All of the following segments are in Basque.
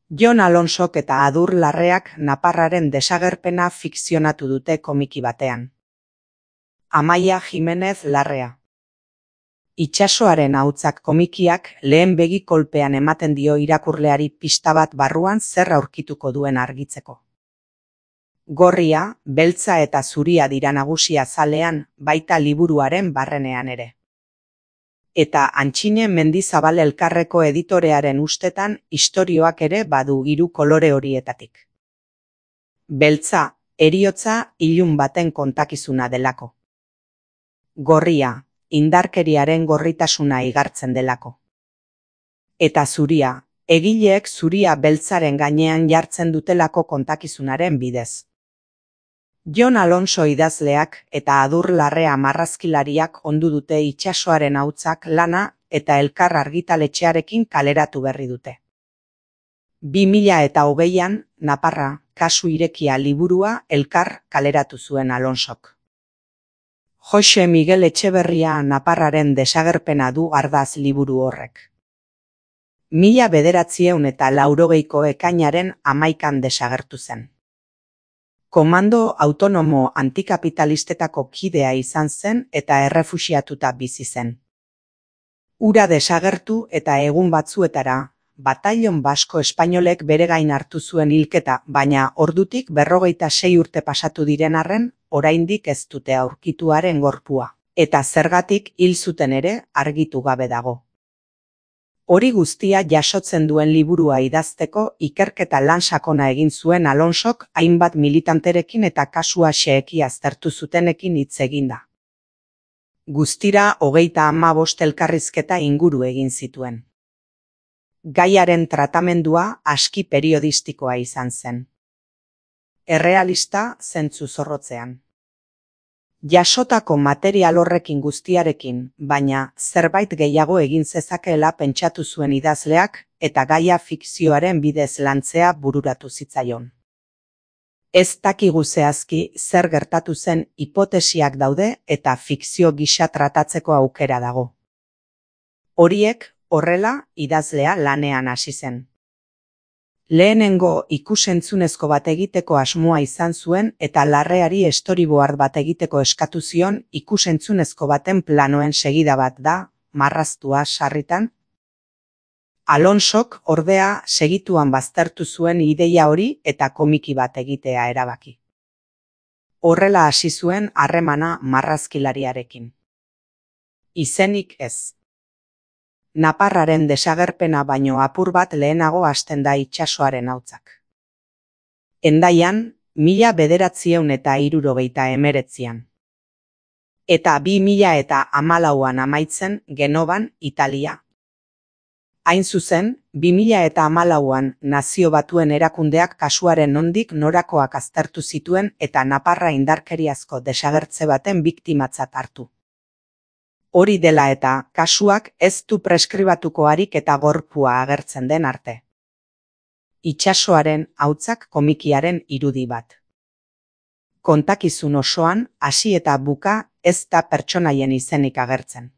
Jon Alonsok eta Adur Larreak naparraren desagerpena fikzionatu dute komiki batean. Amaia Jimenez Larrea. Itsasoaren ahotsak komikiak lehen begi kolpean ematen dio irakurleari pista bat barruan zer aurkituko duen argitzeko. Gorria, beltza eta zuria dira nagusia zalean, baita liburuaren barrenean ere. Eta Antxine Mendizabal Elkarreko editorearen ustetan istorioak ere badu hiru kolore horietatik. Beltza, heriotza ilun baten kontakizuna delako. Gorria, indarkeriaren gorritasuna igartzen delako. Eta zuria, egileek zuria beltzaren gainean jartzen dutelako kontakizunaren bidez. Jon Alonso idazleak eta Adur Larrea marrazkilariak ondu dute itsasoaren ahotsak lana eta Elkar argitaletxearekin kaleratu berri dute. 2020an, Naparra, kasu irekia liburua Elkar kaleratu zuen Alonsok. Jose Miguel Etxeberria naparraren desagerpena du ardaz liburu horrek. 1980ko ekainaren 11an desagertu zen. Komando autonomo antikapitalistetako kidea izan zen eta errefuxiatuta bizi zen. Hura desagertu eta egun batzuetara, Batallon Basko Espainolek bere gain hartu zuen hilketa, baina ordutik 46 urte pasatu diren arren, oraindik ez dute aurkituaren gorpua, eta zergatik hil zuten ere argitu gabe dago. Hori guztia jasotzen duen liburua idazteko ikerketa lan sakona egin zuen Alonsok hainbat militanterekin eta kasua xeheki aztertu zutenekin hitz eginda. Guztira 35 elkarrizketa inguru egin zituen. Gaiaren tratamendua aski periodistikoa izan zen. Errealista zentzu zorrotzean. Jasotako material horrekin guztiarekin, baina zerbait gehiago egin zezakeela pentsatu zuen idazleak eta gaia fikzioaren bidez lantzea bururatu zitzaion. Ez dakigu zehazki zer gertatu zen hipotesiak daude eta fikzio gisa tratatzeko aukera dago. Horiek horrela idazlea lanean hasi zen. Lehenengo ikusentzunezko bat egiteko asmoa izan zuen eta Larreari storyboard bat egiteko eskatu zion ikusentzunezko baten planoen segida bat da, marraztua sarritan. Alonsok ordea segituan baztertu zuen ideia hori eta komiki bat egitea erabaki. Horrela hasi zuen harremana marrazkilariarekin. Izenik ez. Naparraren desagerpena baino apur bat lehenago hasten da itsasoaren ahotsak. Hendaian, 1979an. Eta 2014an amaitzen Genovan, Italia. Hain zuzen, 2014an Nazio Batuen Erakundeak kasuaren nondik norakoak aztertu zituen eta Naparra indarkeriazko desagertze baten biktimatzat hartu. Hori dela eta kasuak ez du preskribatuko harik eta gorpua agertzen den arte. Itsasoaren ahotsak komikiaren irudi bat. Kontakizun osoan hasi eta buka ez da pertsonaien izenik agertzen.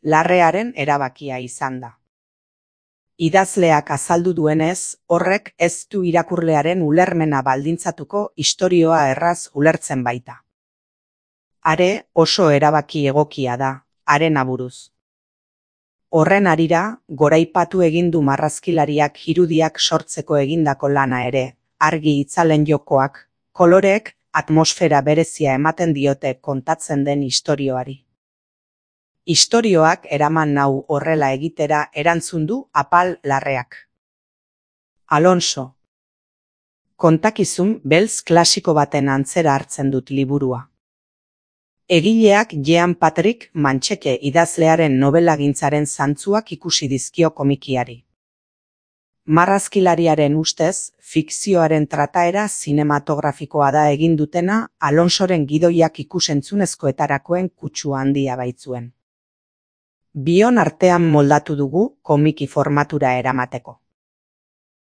Larrearen erabakia izan da. Idazleak azaldu duenez, horrek ez du irakurlearen ulermena baldintzatuko istorioa erraz ulertzen baita. Are oso erabaki egokia da, haren aburuz. Horren harira, goraipatu egin du marrazkilariak irudiak sortzeko egindako lana ere, argi itzalen jokoak, koloreek atmosfera berezia ematen diote kontatzen den istorioari. Istorioak eraman nau horrela egitera erantzun du Apal Larreak. Alonso. Kontakizun beltz klasiko baten antzera hartzen dut liburua. Egileak Jean Patrick Mancheke idazlearen nobelagintzaren zantzuak ikusi dizkio komikiari. Marrazkilariaren ustez, fikzioaren trataera zinematografikoa da egin dutena Alonsoren gidoiak ikusentzunezkoetarakoen kutsu handia baitzuen. Bion artean moldatu dugu komiki formatura eramateko.